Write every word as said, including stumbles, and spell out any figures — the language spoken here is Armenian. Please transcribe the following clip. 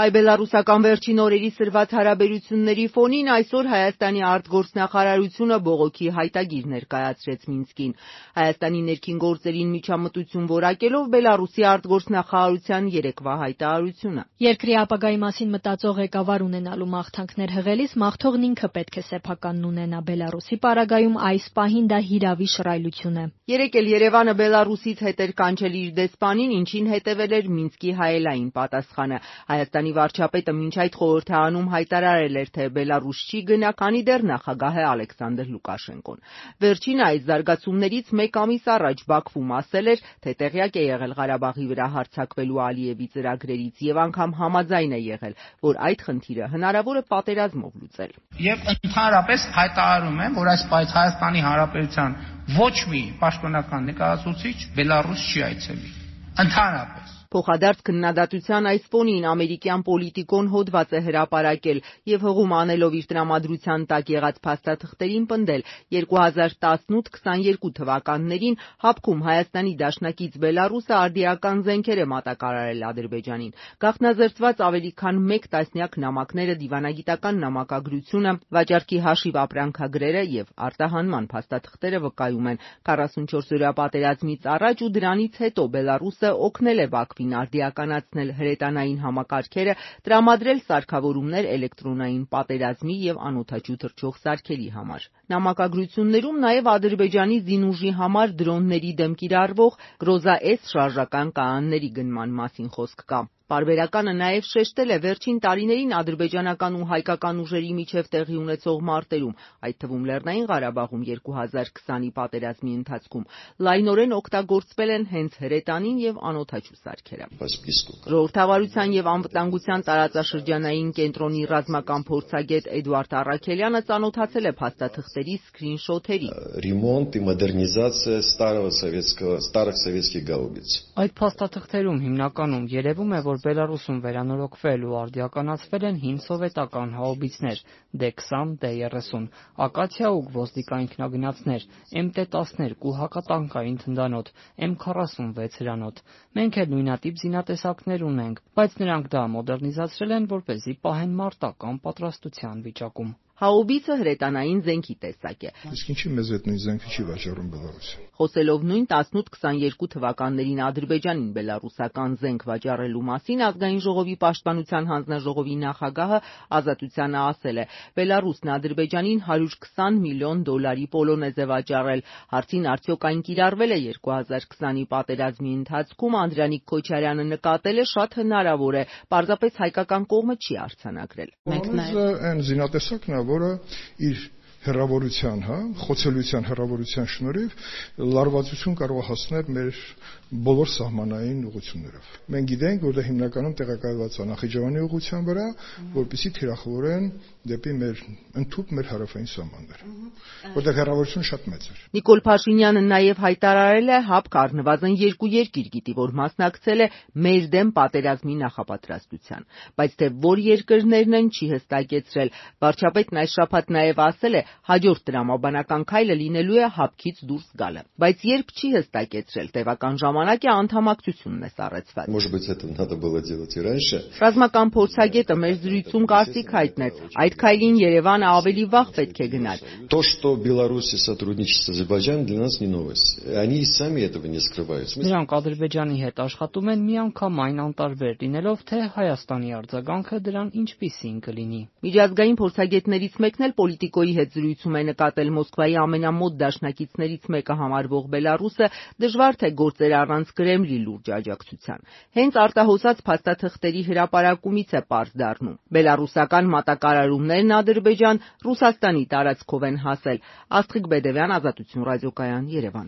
Հայ-բելառուսական վերջին օրերի սրված հարաբերությունների ֆոնին այսօր Հայաստանի արտգործնախարարությունը բողոքի հայտագիր ներկայացրեց Մինսկին։ Հայաստանի ներքին գործերին միջամտություն որակելով Բելառուսի արտգործնախարարության երեկվա հայտարարությունը։ Երկրի ապագայի մասին մտածող ղեկավար ունենալու մաղթանքներ հղելիս մաղթողն ինքը պետք է սեփականն ունենա։ Բելառուսի պարագայում այս պահին դա հիրավի շռայլություն է։ Երեկ էլ Երևանը Բելառուսից հետ էր կանչել իր դեսպանին, ինչին հետևել էր Մինսկի հայելային պատասխանը։ Հայաստանի վարչապետը մինչ այդ խորհրդարանում հայտարարել էր, թե Բելառուս չի գնա, քանի դեռ նախագահ է Ալեքսանդր Լուկաշենկոն։ Վերջինը այս զարգացումներից մեկ ամիս առաջ Բաքվում ասել էր, թե տեղյակ է եղել Ղարաբաղի վրա հարձակվելու Ալիևի ծրագրերից եւ անգամ համաձայն է եղել, որ այդ խնդիրը հնարավոր է պատերազմով լուծել։ Եվ ընդհանրապես հայտարարում եմ, որ այս պայծ Հայաստանի Հանրապետության ոչ մի պաշտոնական ներկայացուցիչ Բելառուս չի այցելի։ Ընդհանրապես Փոխադարձ քննադատության այս ֆոնին ամերիկյան պոլիտիկոն հոդված է հրապարակել եւ հղում անելով իր տրամադրության տակ եղած փաստաթղթերին պնդել երկու հազար տասնութ քսաներկու թվականներին Հապկում Հայաստանի դաշնակից Բելառուսը արդիական զենքեր է մատակարարել Ադրբեջանին։ Գաղտնազերծված ավելի քան մեկ տասնյակ նամակները, դիվանագիտական նամակագրությունը, վաճառքի հաշիվ ապրանքագրերը եւ արտահանման փաստաթղթերը վկայում են քառասունչորս-օրյա պատերազմից առաջ ու դրանից հետո Բելառուսը օգնել է Բաքվին արդիականացնել հրետանային համակարգերը, տրամադրել սարքավորումներ էլեկտրոնային պատերազմի եւ անօդաչու թռչող սարքերի համար։ Նամակագրություններում նաեւ Ադրբեջանի զինուժի համար դրոնների դեմ կիրառվող Գրոզա S շարժական կայանների գնման մասին խոսք կա։ Պարբերականը նաև շեշտել է վերջին տարիներին ադրբեջանական ու հայկական ուժերի միջև տեղի ունեցող մարտերում, այդ թվում Լեռնային Ղարաբաղում երկու հազար քսանի պատերազմի ընթացքում լայնորեն օգտագործվել են հենց հրետանին եւ անօդաչու սարքերը։ Ժողովրդավարության եւ անվտանգության տարածաշրջանային կենտրոնի ռազմական փորձագետ Էդուարդ Առաքելյանը ծանոթացել է փաստաթղթերի սկրինշոթերի։ Ремонт и модернизация старого советского старых советских гаубиц։ Այդ փաստաթղթերում հիմնականում երևում է, որ Բելառուսում վերանորոգվել ու արդիականացվել են հին սովետական հաուբիցներ դե քսան, դե երեսուն, ակացիա ու գվոզդիկա ինքնագնացներ, էմ տե տասներկու հակատանկային թնդանոթ, էմ քառասունվեց հրանոթ։ Մենք էլ նույնատիպ զինատեսակներ ունենք, բայց նրանք դա մոդեռնիզացրել են, որպեսզի պահեն մարտական պատրաստության վիճակում։ Հաուբիցը հրետանային զենքի տեսակ է։ Իսկ ինչի մեզ այդ նույն զենքը չի վաճառում Բելառուսը։ Խոսելով նույն տասնութ քսաներկու թվականներին Ադրբեջանին բելառուսական զենք վաճառելու մասին ազգային ժողովի պաշտպանության հանձնաժողովի նախագահը Ազատությանը ասել է. Բելառուսն Ադրբեջանին հարյուր քսան միլիոն դոլարի պոլոնեզ է վաճառել։ Հարցին արդյոք այն կիրառվել է երկու հազար քսանի պատերազմի ընթացքում, Անդրանիկ Քոչարյանը նկատել է շատ հնարավոր է, պարզապես հայկական կողմը չի արձանագրել։ Այն զինատեսակն է, որը իր հեռավորության, հա, խոցելիության հեռավորության շնորհիվ լարվածություն կարող է հասնել մեր բոլոր սահմանային ուղղություններով։ Մենք գիտենք, որ դա հիմնականում տեղակայված է Նախիջևանի ուղղության վրա, որպեսզի թիրախավորեն դեպի մեր ընդհուպ մեր հարավային սահմանները, որտեղ հեռավորությունը շատ մեծ է։ Նիկոլ Փաշինյանը նաև հայտարարել է Հապկ առնվազն երկու երկիր գիտի, որ մասնակցել է մեր դեմ պատերազմի նախապատրաստության, բայց թե որ երկրներն են չի հստակեցրել։ Վարչապետն այս շաբաթ նաև ասել է, հաջորդ տրամաբանական քայլը լինելու է Հապկից դուրս գալը, բայց երբ չի հստակեցրել, տևական ժամանակ է անդամակցությունն է սառեցված։ Может быть, это надо было делать и раньше։ Ռազմական փորձագետը մեր զրույցում կարծիք հայտնեց, այդ քայլին Երևանը ավելի վաղ պետք է գնար։ То, что Беларусь сотрудничает с Азербайджаном, для нас не новость. Они и сами этого не скрывают։ Նրանք Ադրբեջանի հետ աշխատում են միանգամայն անտարբեր լինելով, թե Հայաստանի արձագանքը դրան ինչպիսին կլինի։ Միջազգային փորձագետներից մեկն էլ Պոլիտիկոյի հետ զրույցում է նկատել Մոսկվայի ամենամոտ դաշնակիցներից մեկը համարվող Բելառուսը դժվար թե գործեր առանց Կրեմլի լուրջ աջակցության։ Հենց արտահոսած փաստաթղթերի հրապարակումից է պարզ դառնում։ Բելառուսական մատակարարումներն Ադրբեջան Ռուսաստանի տարածքով են հասել։ Աստղիկ Բեդևյան, Ազատություն ռադիոկայան, Երևան։